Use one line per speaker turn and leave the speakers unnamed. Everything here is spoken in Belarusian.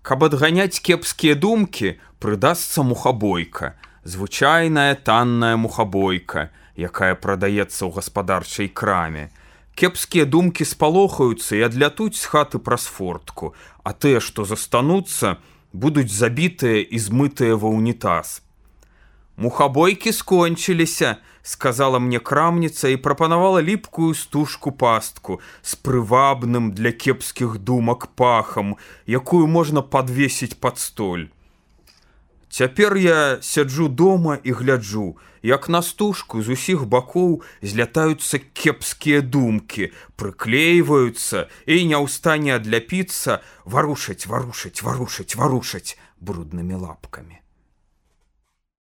Каб адганяць кепскія думкі, прыдасца мухабойка. Звычайная танная мухабойка, якая прадаецца ў гаспадарчай краме. Кепскія думкі спалохаюцца і адлятуць з хаты праз фортку, а тыя, што застануцца, будуць забітыя і змытыя ва ўнітаз. «Мухабойкі скончыліся», — сказала мне крамніца і прапанавала ліпкую стужку-пастку з прывабным для кепскіх думак пахам, якую можна падвесіць пад столь. Цяпер я сяджу дома і гляджу, як на стужку з усіх бакоў злятаюцца кепскія думкі, прыклейваюцца і не ў стане адляпіцца, варушаць бруднымі лапкамі.